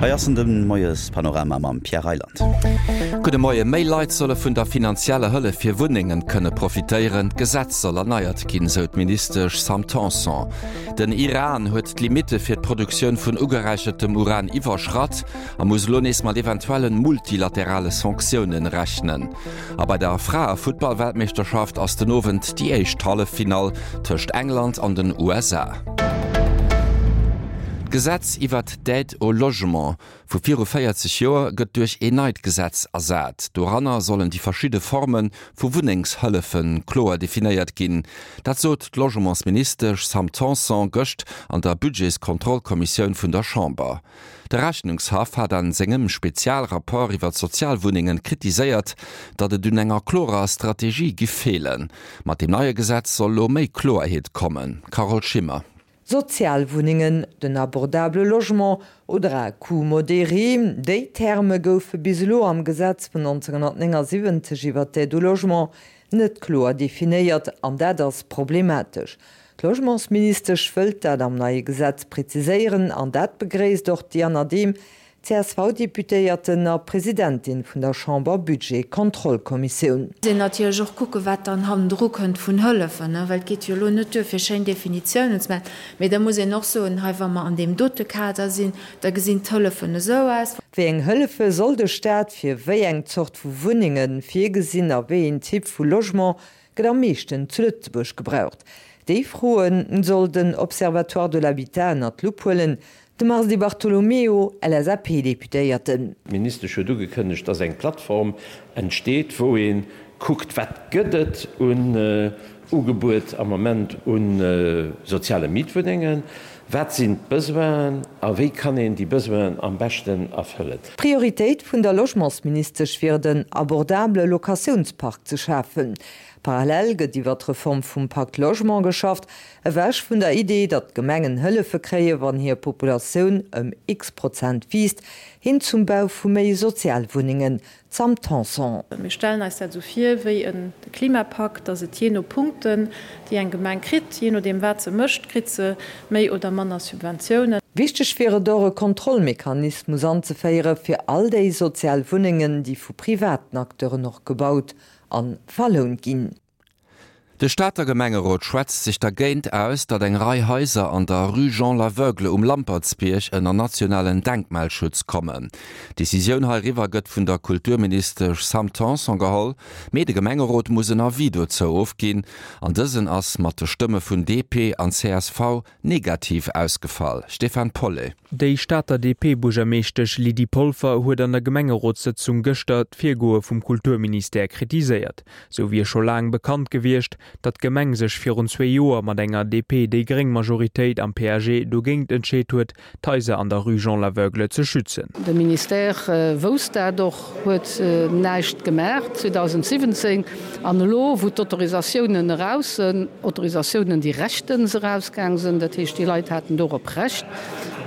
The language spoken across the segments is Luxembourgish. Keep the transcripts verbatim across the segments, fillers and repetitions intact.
Hei ass en de Moiespanorama mam Pierre Reyland. Gudde Moien. Méi Leit solle vun der finanzieller Hëllef fir Wunnengen kënne profitéieren. D'Gesetz soll erneiert ginn, sou d'Ministesch Sam Tanson. Den Iran huet d'Limitte fir d'Produktioun vun ugeräichertem Uran iwwerschratt a muss elo nees mat eventuelle multilaterale Sanktioune rechnen. A bei der Fraefuttballweltmeeschterschaft ass den Owend déi éischt Halleffinall tëscht England an den U S A. D'Gesetz iwwert d'Aide au logement vu viru véierzeg Joer gëtt duerch een neit Gesetz ersat. Doranner sollen déi verschidde Forme vu Wunnengshëllefe kloer definéiert ginn. Dat sot d'Logementsministesch Sam Tanson gëscht an der Budgetskontrollkommissioun vun der Chamber. De Rechnungshaff hat an sengem Spezialrapport iwwer d'Sozialwunnengen kritiséiert, datt et un enger klorer Strategie géif feelen. Mat dem neie Gesetz soll lo méi Kloerheet kommen. Carole Schimmer. Sozialwunnengen, den abordable Logement oder à coût modéré, déi Terme goufe bis elo am Gesetz vun neunzehnhunnertnéngesiwwenzeg iwwer d'Aide au logement net kloer definéiert, an dat ass problematesch. D'Logementsministesch wëllt dat am neie Gesetz präziséieren, an dat begréisst och d'Diana Dehm, C S V-Deputéierten a Presidentin vun der Chamber-Budget-Kontrollkommissioun. Sinn natierlech och kucke wat dann hannendru kënnt vun Hëllefen, well et geet jo elo net duer fir schéin Definitiounen ze maachen, mee da muss een och soen, hei wa mer an deem dote Kader sinn, da gesinn d'Hëllefen esou aus. Wéi eng Hëllefe soll de Staat fir wéi eng Zort vu Wunnenge virgesinn a wéi een Typ vu Logement gëtt am meeschten zu Lëtzebuerg gebraucht? Déi Froen soll den Observatoire de l'habitat ënnert d'Lupp huelen. De Mars Di Bartolomeo, L S A P-Deputéierten. D'Ministesch huet ugekënnegt, dass eng Plattform entsteet, wou ee kuckt, wat gëtt et un Ugebuet am Moment u soziale Mietwunnengen, wat sinn d'Besoinen a wéi kann een déi Besoinen am beschten erfëllen. D'Prioritéit vun der Logementsministesch wier den abordabele Locatiounspark ze schafen. Parallel gëtt iwwer d'Reform vum Pacte Logement geschafft, ewech vun der Idee, datt d'Gemengen Hëllefe kréie wann hir Populatioun ëm X Prozent wiisst, hin zum Bau vu méi Sozialwunnengen. Sam Tanson. Mir stellen eis dat esou vir wéi e Klimapakt, datt et jee no Punkten, déi eng Gemeng kritt, jee nodeem wat se mécht, kritt se méi oder manner Subventiounen. Wichteg wier et och e Kontrollmechanismus anzeféiere fir all déi sozial Wunnengen, déi vu privaten Acteuren och gebaut a verlount ginn. De Stater Gemengerot schwätzt sech dergéint aus, datt eng Rei Haiser an der Rue Jean Laveugle um Lampertsbierg ënner nationalen Denkmalschutz kommen. D'Decisioun heiriwwer gëtt vun der Kulturministesch Sam Tanson geholl, mee de Gemengerot muss en Avis dozou ofginn, an dësen ass mat de Stëmme vun D P an C S V negativ ausgefall. Stefan Polle. Déi Stater D P-Buergermeeschtesch Lydie Polfer huet an der Gemengerotssëtzung gëschter d'Virgoe vum Kulturministère kritiséiert. Sou wier scho laang bekannt gewiescht, datt d'Gemeng sech virun zwee Joer mat enger D P-déi-gréng-Majoritéit am P A G dogéint entscheet huet, d'Haiser an der Rue Jean Laveugle ze schützen. De Ministère wousst dat och, huet näischt gemaach zweedausendsiwwenzéng, an elo wou d'Autorisatiounen eraus sinn, Autorisatiounen déi rechtens erausgaang sinn, dat heescht déi Leit haten dorop Recht,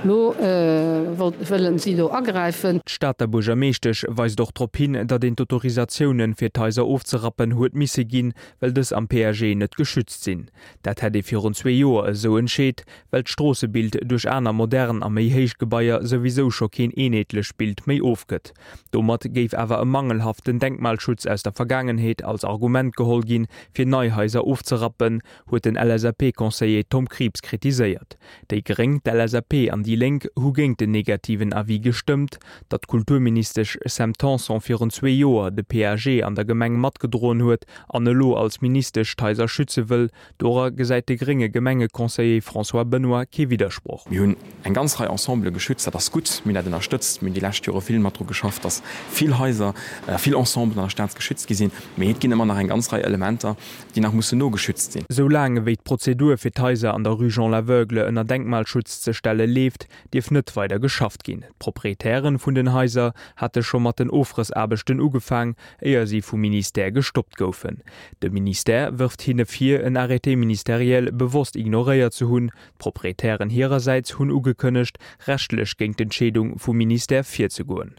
elo wëllen si do agräifen. D'Stater Buergermeeschtesch weist och drop hin, datt een d'Autorisatiounen fir d'Haiser ofzerappen huet misse ginn, well dës am P A G net geschützt sinn. Dat hätt ee virun zwee Joer esou entscheet, well d'Stroossebild duerch aner modern a méi héich Gebaier souwisou scho keen eenheetlecht Bild méi ofgëtt. Domat géif awer e mangelhaften Denkmalschutz aus der Vergaangenheet als Argument geholl ginn, fir nei Haiser ofzerappen, huet den L S A P-Conseiller Tom Krieps kritiséiert. Déi Gréng, d'L S A P an déi Lénk hu géint den negativen Avis gestëmmt. Datt d'Kulturministesch Sam Tanson virun zwee Joer de P A G an der Gemeng matgedroen huet an elo als Ministesch d'Haiser schütze wëll, dora gesäit de grénge Gemengeconseiller François Benoy kee Widdersproch. Mir hunn eng ganz Rei Ensembele geschützt, dat ass gutt, mir hunn dat ënnerstëtzt, mir hunn déi lescht Jore vill mat dru geschafft, datt vill Haiser, vill Ensemblen an der Stad geschützt gi sinn, mee et ginn ëmmer nach eng ganz Rei Elementer, déi nach mussen nogeschützt sinn. Sou laang ewéi d'Prozedur fir d'Haiser an der Rue Jean Laveugle ënner Denkmalschutz ze stelle leeft, dierf net weider geschafft ginn. D'Proprietären vun den Haiser hate scho mat den Ofrëssaarbechten ugefaang, éier si vum Ministère gestoppt goufen. De Ministère wërft hinne vir, en Arrêté ministériel bewosst ignoréiert ze hunn. D'Proprietären hirersäits hunn ugekënnegt, rechtlech géint d'Entscheedung vum Ministère virzegoen.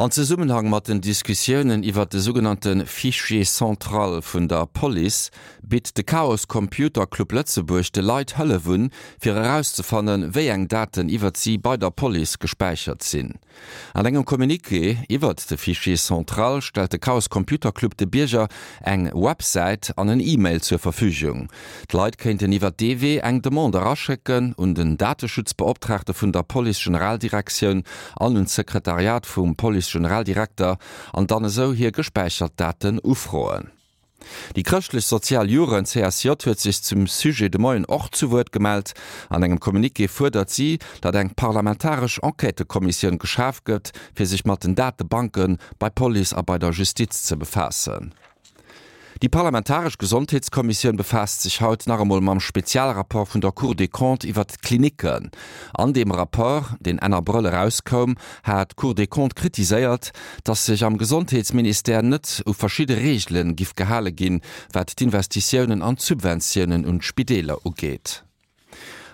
An Zesummenhang mat den Diskussiounen iwwert de sougenannte Fichier central vun der Police bitt de Chaos Computer Club Lëtzebuerg de Leit Hëllef un, fir erauszefannen, wéi eng Daten iwwert si bei der Police gespäichert sinn. An engem Communiqué iwwert de Fichier central stellt de Chaos Computer Club de Bierger eng Websäit an en E-Mail zur Verfügung. D'Leit kéinten iwwert dee Wee eng Demande eraschécken un den Dateschutzbeoptraagte vun der Police-Generaldirektioun an un d'Sekretariat vum Police-Generaldirekter an dann esou hir gespäichert Daten ufroen. Déi Chrëschtlech Sozial Jugend, CSJ, huet sech zum Sujet de Moien och zu Wuert gemellt. An engem Communiqué fuerdert si, datt eng parlamentaresch Enquêtëkommissioun geschaf gëtt, fir sech mat den Datebanke bei Police a bei der Justiz ze befaassen. Déi parlamentaresch Gesondheetskommissioun befaasst sech haut nach emol mam Spezialrapport vun der Cour des Comptes iwwert d'Klinicken. An deem Rapport, deen Enn Abrëll erauskoum, hat d'Cour des Comptes kritiséiert, datt sech am Gesondheetsministère net u verschidde Reegele giff gehale ginn, wat d'Investitiounen an d'Subventiounen un d'Spideeler ugeet.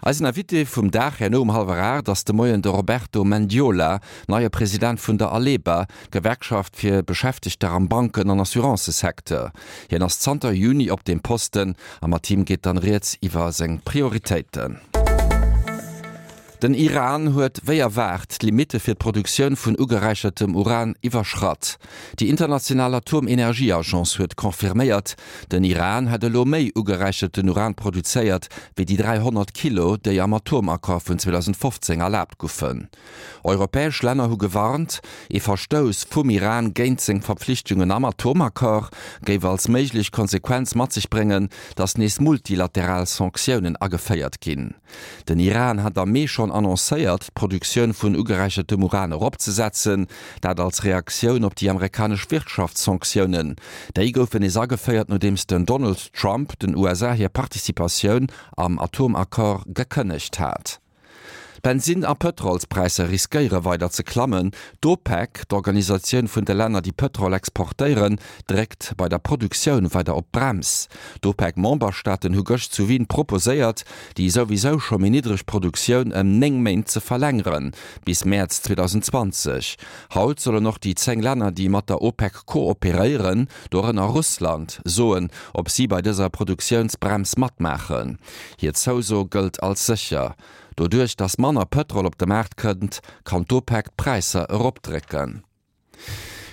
Eisen Invité vum Dag herno um hallwer aacht ass de Moien de Roberto Mendiola, neie President vun der Aleba, Gewerkschaft fir Beschäftegter am Banken an Assurancësecteur. Hien ass zanter Juni op deem Posten a mat him geet dann rieds iwwer seng Prioritéiten. Den Iran huet wéi erwaart d'Limitte fir d'Produktioun vun ugeräichertem Uran iwwerschratt. Déi international Atomenergieagence huet confirméiert, den Iran hätt elo méi ugeräicherten Uran produzéiert, wéi déi dräihonnert Kilo, déi am Atomaccord vun zweedausendfofzéng erlaabt goufen. Europäesch Länner hu gewarnt, ee Verstouss vum Iran géint seng Verpflichtungen am Atomaccord géif als méiglech Konsequenz mat sech bréngen, datt nees multilateral Sanktiounen ageféiert ginn. Den Iran hat am Mee schonn annoncéiert, d'Produktioun vun ugeräichertem Uran eropzesetzen, dat als Reaktioun op déi amerikanesch Wirtschaftssanktiounen. Déi goufen nees ageféiert, nodeems den Donald Trump den U S A hir Participatioun am Atomaccord gekënnegt hat. D'Bensin a Pëtrolspräisser riskéiere weider ze klammen. D'OPEC, d'Organisatioun vun de Länner, déi Pëtrol exportéieren, dréckt bei der Produktioun weider op d'Brems. D'OPEC-Memberstaaten hu gëscht zu Wien proposéiert, déi souwisou scho méi niddreg Produktioun ëm néng Méint ze verlängeren, bis Mäerz zweedausendzwanzeg. Haut sollen och déi zéng Länner, déi mat der OPEC kooperéieren, dorënner Russland, soen, ob si bei dëser Produktiounsbrems matmaachen. Hir Zouso gëllt als sécher. Doduerch datt manner Pëtrol op de Maart kënnt, kann d'OPEC d'Präisser eropdrécken.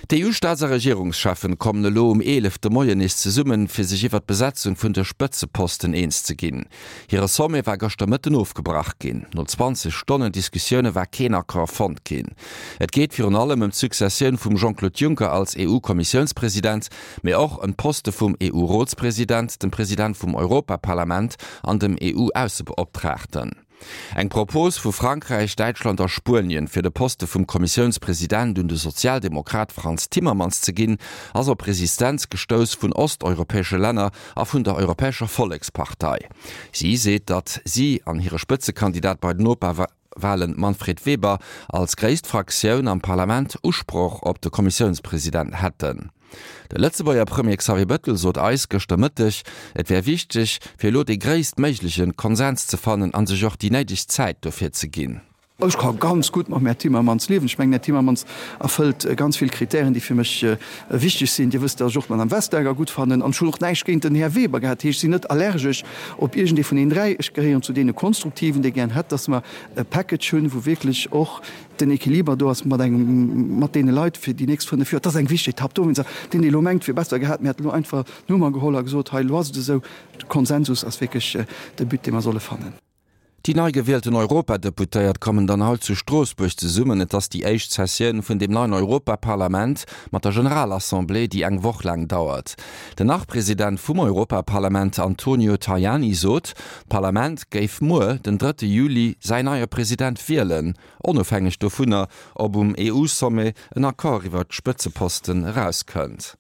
D'EU-Staats a Regierungscheffen kommen elo um eelef de Moien nees zesummen, fir sech iwwer d'Besetzung vun de Spëtzeposten eens ze ginn. Hire Sommet war gëschter Mëtten ofgebrach ginn. No zwanzeg Stonnen Diskussioune war keen Accord fonnt ginn. Et geet virun allem ëm d'Successioun vum Jean-Claude Juncker als EU-Kommissiounspresident, mee och ëm d'Poste vum EU-Rotspresident, dem President vum Europaparlament an dem EU-Aussebeoptraagten. Eng Propos vu Frankräich, Däitschland a Spuenien, fir de Poste vum Kommissiounspresident un de Sozialdemokrat Frans Timmermans ze ginn, ass op Resistenz gestouss vun osteuropäesche Länner a vun der Europäescher Vollekspartei. Si seet, datt si an hire Spëtzekandidat bei den Europawalen Manfred Weber als gréisst Fraktioun am Parlament Usproch op de Kommissiounspresident hätten. De Lëtzebuerger Premier Xavier Bettel sot eis gëschter Mëtteg, et wär wichteg, fir elo dee gréisstméigleche Konsens ze fannen a sech och déi néideg Zäit dofir ze ginn. Ech ka ganz gutt mam Här Timmermans liewen. Ech mengen, den Här Timmermans erfëllt ganz vill Kritären, déi fir mech wichteg sinn. Dir wësst, datt ech och d'Madame Vestager gutt fannen an ech hunn och näischt géint den Här Weber gehat. Dat heescht, ech sinn net allergesch op iergendee vun deenen dräi. Ech gehéieren zu deene Konstruktiven, déi gären hätt, datt mer e Package hunn, wou wierklech och den Equiliber do ass mat engem, mat deene Leit fir déi nächst fënnef Joer. Dat ass eng wichteg Etapp dowéinst. Deen, dee elo mengt, wier besser gehat, mir hätten elo einfach d'Nummer geholl a gesot, hei, elo ass et esou. De Konsensus ass wierklech de But, dee mer solle fannen. Déi nei gewielten Europadeputéiert kommen dann haut zu Stroossbuerg zesummen. Et ass déi éischt Sessioun vun deem neien Europaparlament mat der Generalassemblée, déi eng Woch laang dauert. Den Nach-President vum Europaparlament Antonio Tajani sot, d'Parlament géif muer, den drëtte Juli, säin neie President wielen, onofhängeg dovunner, ob um E U-Sommet en Accord iwwer d'Spëtzeposten erauskënnt.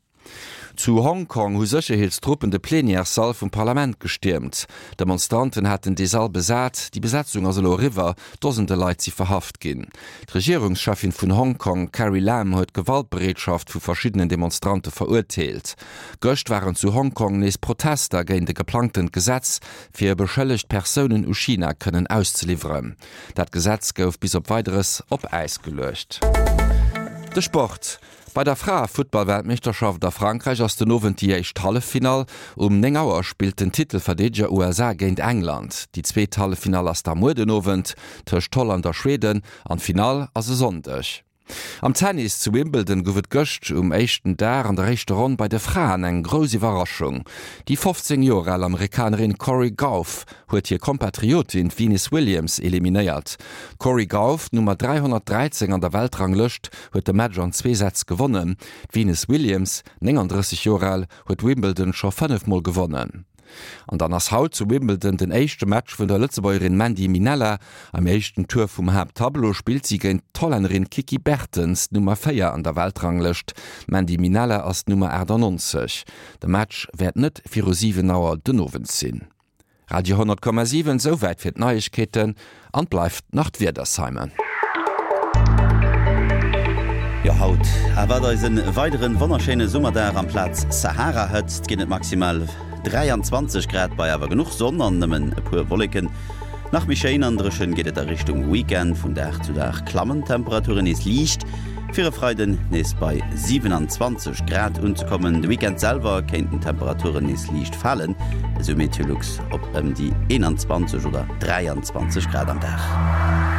Zu Hongkong hu Sécherheetstruppen de Plenièressall vum Parlament gestiermt. Demonstranten haten dee Sall besat. Déi Besetzung ass elo eriwwer, Dosende Leit si verhaft ginn. D'Regierungscheffin vun Hongkong, Carrie Lam, huet d'Gewaltbereetschaft vu verschiddenen Demonstrante verurteelt. Gëscht waren zu Hongkong nees Protester géint e geplangtent Gesetz, fir beschëllegt Persounen u China kënnen auszeliwweren. Dat Gesetz gouf bis op Weideres op Äis geluecht. De Sport, Bei der Fraefuttballweltmeeschterschaft a Frankräich ass den Owend déi éischt Halleffinall. Um néng Auer spillt den Titelverdeedeger U S A géint England. Déi zweet Halleffinall ass da muer den Owend tëscht Holland a Schweden an d'Finall ass e Sonndeg. Am Tennis zu Wimbledon gouf et gëscht um éischten Dag an der éischter Ronn bei de Fraen eng grouss Iwwerraschung. Déi fofzéng Joer al Amerikanerin Cori Gauff huet hir Kompatriotin d'Venus Williams eliminéiert. D'Cori Gauff, d'Nummer dräihonnertdräizéng an der Weltranglëscht, huet de Match an zwee Sätz gewonnen. D'Venus Williams, nénganddrësseg Joer al, huet Wimbledon scho fënnef Mol gewonnen. An dann ass haut zu Wimbledon den éischte Match vun der Lëtzebuergerin Mandy Minella. Am éischten Tour vum Haapttableau spillt si géint d'Hollännerin Kiki Bertens, d'Nummer véier an der Weltranglëscht. D'Mandy Minella ass d'Nummer achtannonzeg. De Match wäert net viru siwen Auer den Owend sinn. Radio honnert Komma siwen, Souwäit fir d'Neiegkeeten an bleift nach d'Wieder, Simon. Jo, haut erwaart eis en weideren wonnerschéine Summerdag. Amplaz Sahara-Hëtzt ginn et maximal dräianzwanzeg Grad bei awer genuch Sonn an nëmmen e puer Wolleken. Nach méi schéin an dréchen geet et a Richtung Weekend. Vun Dag zu Dag klammen d'Temperaturen nees liicht, fir e Freiden nees bei siwenanzwanzeg Grad unzekommen. De Weekend selwer kéinten d'Temperaturen nees liicht falen, esou Meteolux, op ëm déi eenanzwanzeg oder dräianzwanzeg Grad am Dag.